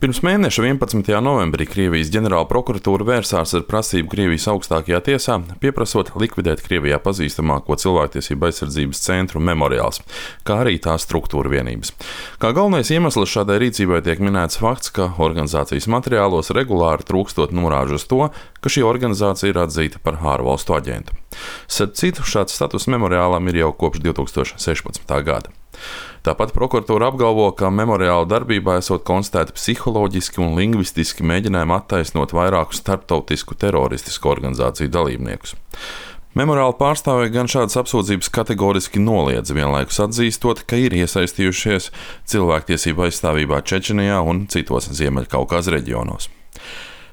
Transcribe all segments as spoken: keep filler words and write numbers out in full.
Pirms mēneša vienpadsmitajā novembrī Krievijas ģenerāla prokuratūra vērsās ar prasību Krievijas augstākajā tiesā, pieprasot likvidēt Krievijā pazīstamāko cilvēktiesību aizsardzības centru Memoriāls, kā arī tās struktūra vienības. Kā galvenais iemesls šādai rīcībai tiek minēts fakts, ka organizācijas materiālos regulāri trūkstot norāžu uz to, ka šī organizācija ir atzīta par ārvalstu aģentu. Starp citu, šāds status Memoriālam ir jau kopš divi tūkstoši sešpadsmitā gada. Tāpat prokuratūra apgalvo, ka Memoriāla darbībā esot konstatēti psiholoģiski un lingvistiski mēģinājumi attaisnot vairāku starptautisku teroristisku organizāciju dalībniekus. Memoriāla pārstāvji gan šādas apsūdzības kategoriski noliedz, vienlaikus atzīstot, ka ir iesaistījušies cilvēktiesību aizstāvībā Čečenijā un citos Ziemeļkaukāza reģionos.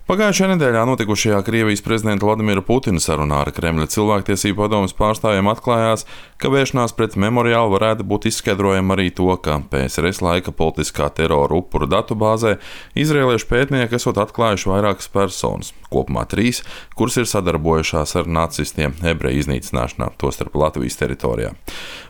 Pagājušajā nedēļā notikušajā Krievijas prezidenta Vladimira Putina sarunā ar Kremļa cilvēktiesību padomes pārstāvjiem atklājās, ka vēršanās pret Memoriālu varētu būt izskaidrojama arī to, ka P S R S laika politiskā terora upuru datubāzē izrēliešu pētnieki esot atklājuši vairākas personas, kopumā trīs, kuras ir sadarbojušās ar nacistiem ebreju iznīcināšanā, tostarp Latvijas teritorijā.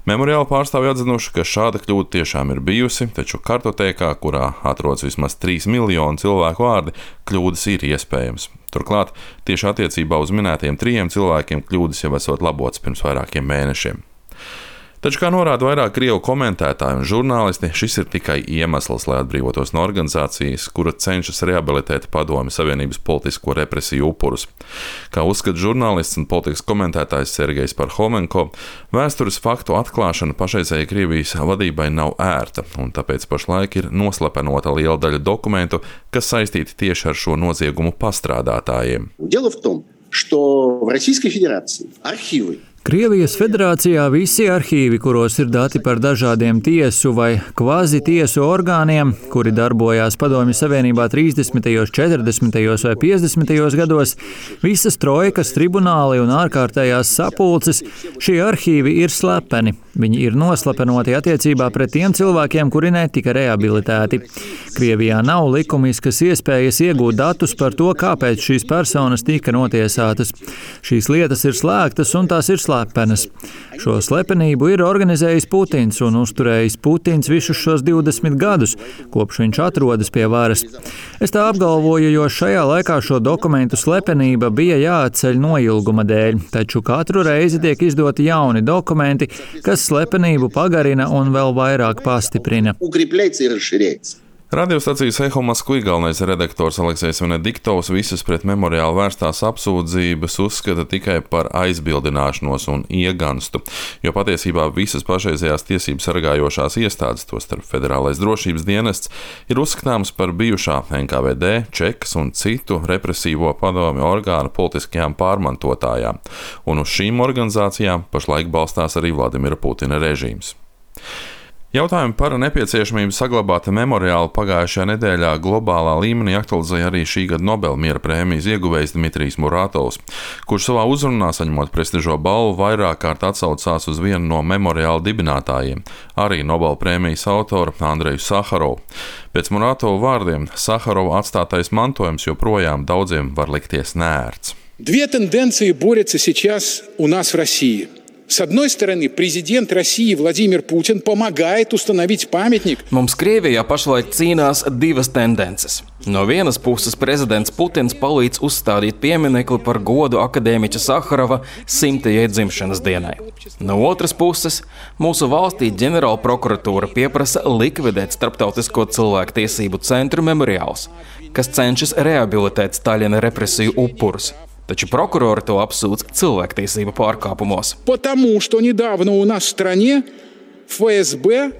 Memoriāla pārstāvji atzinuši, ka šāda kļūda tiešām ir bijusi, taču kartotēkā, kurā atrodas vismaz trīs miljoni cilvēku vārdi, kļūdas ir iespējams. Turklāt, tieši attiecībā uz minētiem trījiem cilvēkiem kļūdas jau esot labotas pirms vairākiem mēnešiem. Taču, kā norāda vairāk krievu komentētāji un žurnālisti, šis ir tikai iemesls, lai atbrīvotos no organizācijas, kura cenšas rehabilitēt Padomju Savienības politisko represiju upurus. Kā uzskata žurnālists un politikas komentētājs Sergejs Parhomenko, vēstures faktu atklāšana pašreizējai Krievijas vadībai nav ērta, un tāpēc pašlaik ir noslepenota liela daļa dokumentu, kas saistīti tieši ar šo noziegumu pastrādātājiem. Дело в том, что в Российской Федерации архивы Krievijas federācijā visi arhīvi, kuros ir dati par dažādiem tiesu vai kvazi-tiesu orgāniem, kuri darbojās Padomju Savienībā trīsdesmitajos, četrdesmitajos vai piecdesmitajos gados, visas trojkas, tribunāli un ārkārtējās sapulces, šie arhīvi ir slepeni. Viņi ir noslepenoti attiecībā pret tiem cilvēkiem, kuri netika rehabilitēti. Krievijā nav likumiskas iespējas iegūt datus par to, kāpēc šīs personas tika notiesātas. Šīs lietas ir slēgtas un tās ir slepenas. Šo slepenību ir organizējis Putins un uzturējis Putins visus šos divdesmit gadus, kopš viņš atrodas pie varas. Es tā apgalvoju, jo šajā laikā šo dokumentu slepenība bija jāatceļ noilguma dēļ, taču katru reizi tiek izdoti jauni dokumenti, kas slepenību pagarina un vēl vairāk pastiprina. Radiostacijas Eho Moskvī galvenais redaktors Aleksejs Venediktovs visas pret Memoriālu vērstās apsūdzības uzskata tikai par aizbildināšanos un ieganstu, jo patiesībā visas pašreizējās tiesību sargājošās iestādes, tostarp Federālais drošības dienests, ir uzskatāms par bijušā N K V D, Čekas un citu represīvo padomju orgānu politiskajām pārmantotājām, un uz šīm organizācijām pašlaik balstās arī Vladimira Putina režīms. Jautājumu par nepieciešamību saglabāt Memoriālu pagājušajā nedēļā globālā līmenī aktualizēja arī šī gada Nobela miera prēmijas ieguvējs Dmitrijs Muratovs, kurš savā uzrunā saņemot prestižo balvu vairāk kārt atsaucās uz vienu no Memoriāla dibinātājiem, arī Nobela prēmijas autoru Andreju Saharovu. Pēc Muratova vārdiem Saharova atstātais mantojums joprojām daudziem var likties neērts. Две тенденции борются сейчас у нас в России. С одной стороны, президент России Владимир Путин помогает установить памятник. Mums Krievijā pašlaik cīnās divas tendences. No vienas puses prezidents Putins palīdz uzstādīt pieminekli par godu akadēmiķa Saharova simtajai dzimšanas dienai. No otras puses, mūsu valstī ģenerāla prokuratūra pieprasa likvidēt starptautisko cilvēktiesību centru Memoriāls, kas cenšas rehabilitēt Staļina represiju upurus. Taču prokurori to apsūdz cilvēktiesību pārkāpumos. Потому что недавно у нас в стране ФСБ.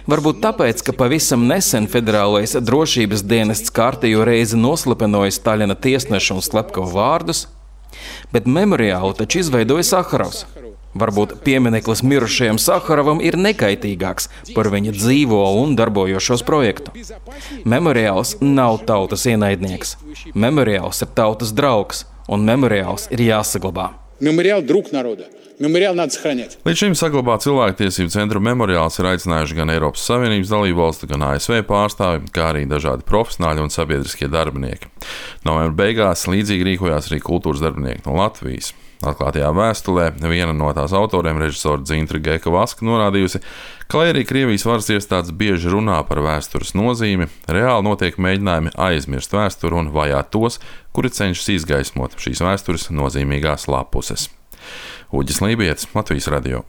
Varbūt tāpēc, ka pavisam nesen Federālais drošības dienests kārtējo reizi noslepenoja Staļina tiesnešu un slepkavu vārdus, bet Memoriālu taču izveidoja Saharovs. Varbūt piemineklis mirušajam Saharovam ir nekaitīgāks par viņa dzīvo un darbojošos projektu. Memoriāls nav tautas ienaidnieks. Memoriāls ir tautas draugs. Un Memoriāls ir jāsaglabā. Memoriāl drūk naroda. Memoriāl надо сохранять. Līdz šim saglabāt cilvēktiesību centru Memoriāls ir aicinājuši gan Eiropas Savienības dalībvalstu, gan A S V pārstāvi, kā arī dažādi profesionāļi un sabiedriskie darbinieki. Novembra beigās līdzīgi rīkojās arī kultūras darbinieki no Latvijas. Atklātajā vēstulē viena no tās autoriem, režisora Dzintra Geka-Vaska, norādījusi, ka, lai arī Krievijas varas iestādes bieži runā par vēstures nozīmi, reāli notiek mēģinājumi aizmirst vēsturi un vajāt tos, kuri cenšas izgaismot šīs vēstures nozīmīgās lapuses. Uģis Lībietis, Latvijas radio.